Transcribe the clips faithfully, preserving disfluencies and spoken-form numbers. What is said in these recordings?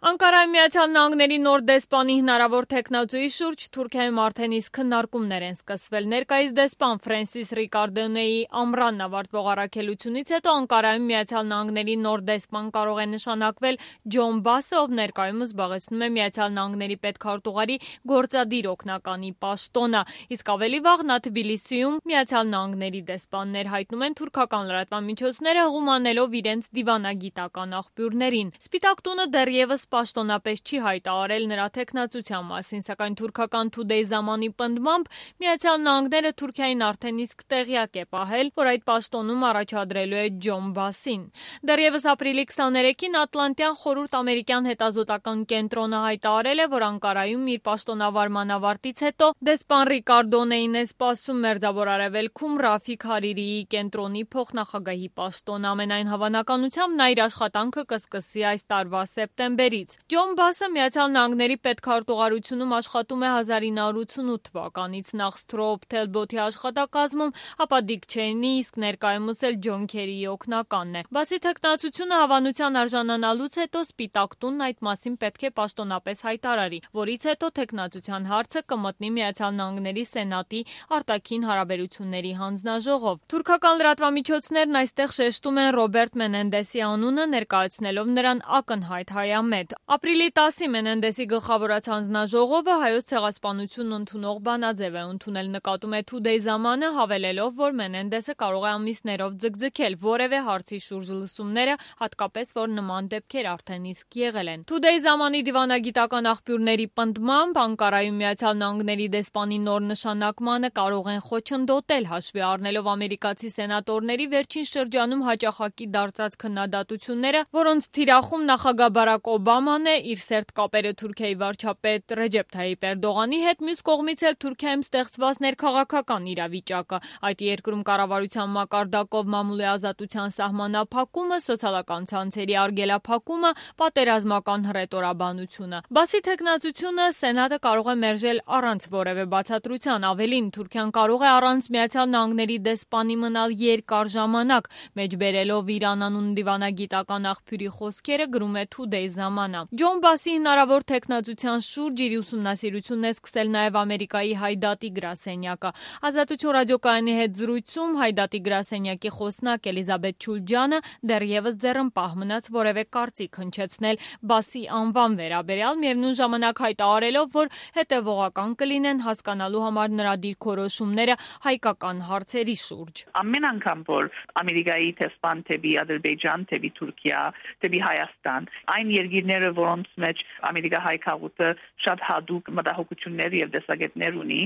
Անկարայի Միացյալ Նահանգների նոր դեսպանի հնարավոր թեկնածուի շուրջ Թուրքիայում արդեն իսկ քննարկումներ են սկսվել։ Ներկայիս դեսպան Ֆրենսիս Ռիկարդոնեի ամռանն ավարտվող առաքելությունից հետո Անկարայում Միացյալ Նահանգների նոր դեսպան կարող է նշանակվել Ջոն Բասը, ով ներկայումս զբաղեցնում է Միացյալ Նահանգների պետքարտուղարի գործադիր օգնականի պաշտոնը, իսկ ավելի վաղ նա Թբիլիսիում Միացյալ Նահանգների դեսպաններ, հայտնում են թուրքական լրատվամիջոցները, հղում անելով իրենց դիվանագիտական աղբյուրներին։ Սպիտակ տունը դեռևս պաշտոնապես չի հայտարարել նրա թեկնածության մասին, սակայն թուրքական Today ժամանի պնդմամբ Միացյալ Նահանգները Թուրքիային արդեն իսկ տեղյակ է պահել, որ այդ պաշտոնում առաջադրելու է Ջոն Բասին։ Դեռևս ապրիլի քսաներեքին Ատլանտյան խորհուրդ ամերիկյան հետազոտական կենտրոնը հայտարարել է, որ Անկարայում իր պաշտոնավարման ավարտից հետո դեսպան Ռիկարդոնեին է սպասում Մերձավոր Արևելքում Ռաֆիկ Հարիրիի կենտրոնի փոխնախագահի պաշտոն։ Ամենայն հավանականությամբ նա իր աշխատանքը կսկսի այս տարվա սեպտեմբերից։ Ջոն Բասը Միացյալ Նահանգների պետքարտուղարությունում աշխատում է հազար ինը հարյուր ութսունութ թվականից, նախ Սթրոուփ Թելբոթի աշխատակազմում, ապա Դիկ Չեյնի, իսկ ներկայումս էլ Ջոն Քերիի օգնականն է։ Բասի թեկնածությունը հավանության արժանանալուց հետո Սպիտակ տունն այդ մասին պետք է պաշտոնապես հայտարարի, որից հետո թեկնածության հարցը կմտնի Միացյալ Նահանգների Սենատի արտաքին հարաբերությունների հանձնաժողով։ Թուրքական լրատվամիջոցներն այստեղ շեշտում են Ռոբերտ Մենենդեսի անունը, ներկայացնելով նրան ակնհայտ հայամետ։ Ապրիլի տասին Մենենդեսի գլխավորած հանձնաժողովը Հայոց ցեղասպանություն ընդունող բանաձև է ընդունել, նկատում է Today ժամանը, հավելելով, որ Մենենդեսը կարող է ամիսներով ձգձգել որևէ հարցի շուրջ լսումները, հատկապես որ նման դեպքեր արդեն իսկ եղել են։ Today ժամանի դիվանագիտական աղբյուրների պնդմամբ Անկարայում Միացյալ Նահանգների դեսպանի նոր նշանակմանը կարող են խոչընդոտել, հաշվի առնելով ամերիկացի սենատորների վերջին շրջանում հաճախակի դարձած քննադատությունները, որոնց թիրախում նախագահ Բարակ Օբաման է, իր սերտ կապերը Թուրքիայի վարչապետ Ռեջեփ Թայիպ Էրդողանի հետ, մյուս կողմից էլ Թուրքիայում ստեղծված ներքաղաքական իրավիճակը, այդ երկրում կառավարության մակարդակով մամուլի ազատության սահմանափակումը, սոցիալական ցանցերի արգելափակումը, պատերազմական հռետորաբանությունը։ Բասի թեկնածությունը Սենատը կարող է մերժել առանց որևէ բացատրության, ավելին Թուրքիան կարող է առանց Միացյալ Նահանգների դեսպանի մնալ երկար ժամանակ, մեջբերելով իր անանուն դիվանագիտական աղբյուրի խոսքերը, գրում է Today ժամանա։ Ջոն Բասի հնարավոր թեկնածության շուրջ իր ուսումնասիրությունն է սկսել նաև Ամերիկայի Հայդատի գրասենյակը։ Ազատություն ռադիոկայանի հետ զրույցում Հայդատի գրասենյակի խոսնակ Էլիզաբեթ Չուլջյանը դեռևս ձեռնպահ մնաց որևէ կարծիք հնչեցնել Բասի անվան վերաբերյալ, միևնույն ժամանակ հայտարարելով, որ հետևողական կլինեն հասկանալու համար նրա դիրքորոշումները հայկական հարցերի շուրջ։ Ամեն անգամ որ Ամերիկայի դեսպան թեպի Ադրբեջան, թեպի Թուրքիա, թեպի Հայաստան, այն երկիրները, որոնց մեջ Ամերիկա հայ քաղուտը շատ հատուկ մտահոգություններ եւ տեսակետներ ունի,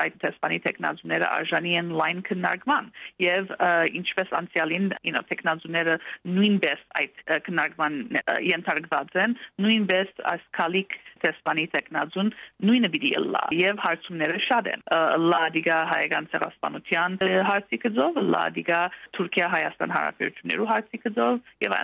այդ դեսպանի տեխնազուները արժանի են լայն քննարկման եւ ինչպես անցյալին, you know, տեխնազուները նույնպես այդ քննարկման ենթարկված են, նույնպես այս քալիկ դեսպանի տեխնազուն նույնը պիտի լա եւ հարցումները շատ են։ Լա դիգա հայկական ցեղասպանության հարցի կծով, լա դիգա Թուրքիա-Հայաստան հարաբերություններու հարցի կծով եւ